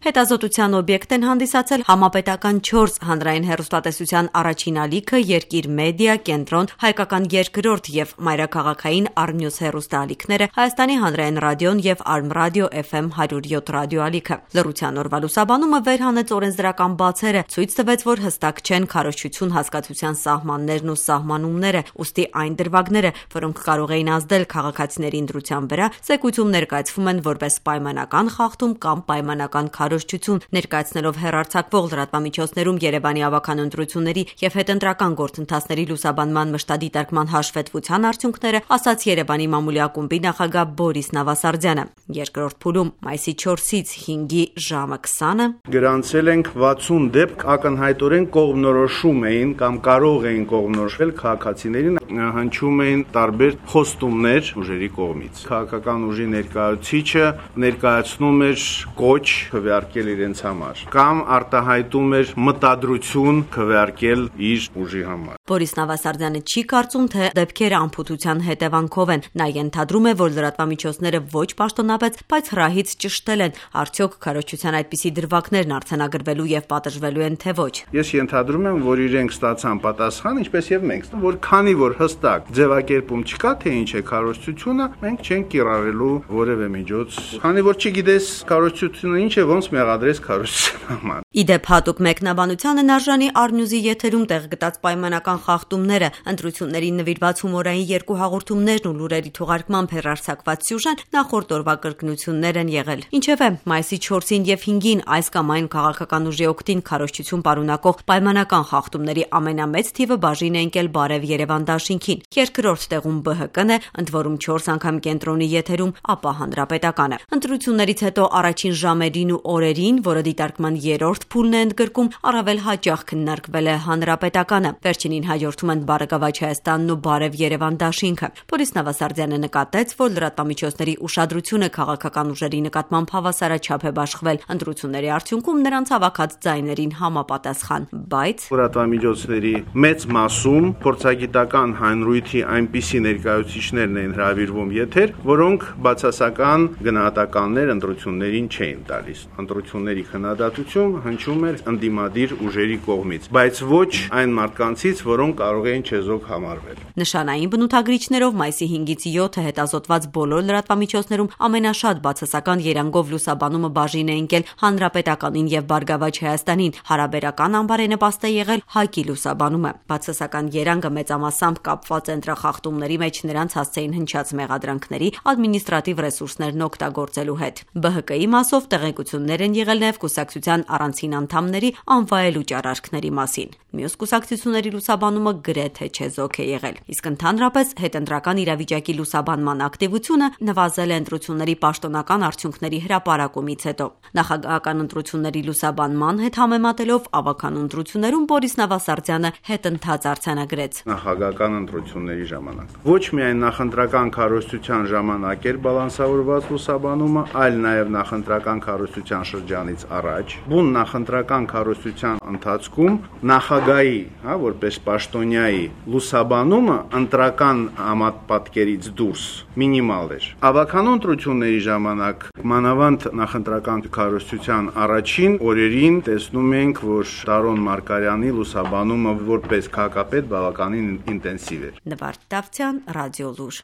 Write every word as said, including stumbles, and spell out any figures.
Հետազոտության օբյեկտ են հանդիսացել համապետական չորս հանրային հեռուստատեսության առաջին ալիքը, Երկիր մեդիա, Կենտրոն, Հայկական երկրորդ և մայրաքաղաքային Առնյուզ հեռուստաալիքները, Հայաստանի հանրային ռադիոն և Արմրադիո Էֆ Էմ հարյուր յոթ ռադիոալիքը։ Լռության օրվա լուսաբանումը վեր հանեց օրենսդրական բացերը, ցույց տվեց, որ հստակ չեն քարոզչություն հասկացության սահմաններն ու սահմանումները, ուստի այն դրվագները, որոնք կարող էին ազդել քաղաքացիների ընտրության վրա, զեկույցում ներկայացվում են որպես պայմանական խախտում կամ պայմանական քարոզչություն, ներկայացնելով հեռարձակվող լրատվամիջոցներում Երևանի ավագան ընտրությունների և հետընտրական գործընթացների լուսաբանման մշտադիտարկման հաշվետվության արդյունքները, ասաց Երևանի մամուլի ակումբի նախագահ Բորիս Նավասարդյանը։ Երկրորդ փուլում մայիսի չորսից հինգի ժամը քսանը գրանցել ենք վաթսուն դեպք, ակնհայտորեն կողմնորոշում էին կամ կարող էին կողմնորոշվել քաղաքացիներին, հնչում էին տարբեր խոստումներ ուժերի կողմից։ Քաղաքական ուժի ներկայացուցիչը ներկայացնում էր կոչ քվեարկել իրենց համար կամ արտահայտում էր մտադրություն քվեարկել իր ուժի համար։ Բորիս Նավասարդյանը չի կարծում, թե դեպքերը անփութության հետևանքով են։ Նա ենթադրում է, որ լրատվամիջոցները ոչ պաշտոնապես, բայց հրահից ճշտել են, արդյոք քարոզչության այդպիսի դրվագներն արձանագրվելու և պատժվելու են, թե ոչ։ Ես ենթադրում եմ, որ իրենք ստացան պատասխան, ինչպես եւ մենք, որ քանի որ հստակ ձևակերպում չկա, թե ինչ է քարոզչությունը, մենք չենք կիրառելու որևէ միջոց։ Քանի որ չգիտես քարոզչությունը ինչ է, ոնց մեղադրես քարոզչության համար։ Իդեպ հատուկ մեկնաբանությանն արժանի Առնյուզի եթերում տեղ գտած պայմանական խախտումները, ընտրություններին նվիրված հումորային երկու հաղորդումներն ու լուրերի թողարկմամբ հեռարձակված սյուժեն նախորդ օրվա կրկնություններ են եղել։ Ինչևէ, մայիսի չորսին և հինգին այս կամ այն քաղաքական ուժի օգտին քարոզչություն պարունակող պայմանական խախտումների ամենամեծ թիվը բաժին է ընկել Բարև Երևան դաշինքին։ Երկրորդ տեղում Բը Հ Կն է, ընդ որում չորս անգամ Կենտրոնի եթերում, ապա Հանրապետականը։ Ընտրություններից հետո առաջին ժամերին ու օրերին, որը դիտարկման երրորդ փուլն է ընդգրկում, առավել հաճախ քննարկվել է Հանրապետականը։ Վերջինին հաջորդում են Բարգավաճ Հայաստանն ու Բարև Երևան դաշինքը։ Բորիս Նավասարդյանը նկատեց, որ լրատվամիջոցների ուշադրությունը քաղաքական ուժերի նկատմամբ հավասարաչափ է բաշխվել ընտրությունների արդյունքում նրանց հավաքած ձայներին համապատասխան, բայց լրատվամիջոցների մեծ մասում փորձագիտական հանրույթի այնպիսի ներկայացուցիչներն են հրավիրվում եթեր, որոնք բացասական գնահատականներ ընտրություններին չէին տալիս։ Ընտրությունների քննադատություն հնչում էր ընդդիմադիր ուժերի կողմից, բայց ոչ այն մարդկանցից, որոնք կարող էին չեզոք համարվել։ Նշանային բնութագրիչներով մայիսի հինգից յոթը հետազոտված բոլոր լրատվամիջոցներում ամենաշատ բացասական երանգով լուսաբանումը բաժին է ընկել Հանրապետականին և Բարգավաճ Հայաստանին, հարաբերական անբարենպաստ է եղել ՀԱԿ-ի լուսաբանումը։ Բացասական երանգը մեծամասամբ կապված է ընտրախախտումների մեջ նրանց հասցեին հնչած մեղադրանքների ադմինիստրատիվ ռեսուրսներն օգտագործելու հետ։ Բը Հ Կ-ի մասով տեղեկություններ են եղել նաև կուսակցության առանցին անդամների անվայելուչ արարքների մասին։ Մյուս կուսակցությունների լուսաբանումը գրեթե չեզոք է եղել։ Իսկ ընդհանրապես հետընտրական իրավիճակի լուսաբանման ակտիվությունը նվազել է ընտրությունների պաշտոնական արդյունքների հրապարակումից հետո։ Նախագահական ընտրությունների լուսաբանման հետ համեմատելով ավագան ընտրություններում Բորիս Նավասարդյանը հետընթաց արձանագրեց։ Նախագահական ընտրությունների ժամանակ ոչ միայն նախընտրական քարոզչության ժամանակ էր բալանսավորված լուսաբանումը, այլ նաև նախընտրական քարոզչության շրջանից առաջ, բուն նախընտրական քարոզչության ընթացքում նախագահի, հա, որպես պաշտոնյայի լուսաբանումը ընտրական համապատկերից դուրս մինիմալ էր։ Ավագան ընտրությունների ժամանակ մանավանդ նախընտրական քարոզչության առաջին օրերին տեսնում ենք, որ Տարոն Մարգարյանի լուսաբանումը որպես քաղաքապետ բավականին ինտենսիվ էր։ Նվարդ Դավթյան, Ռադիոլուր։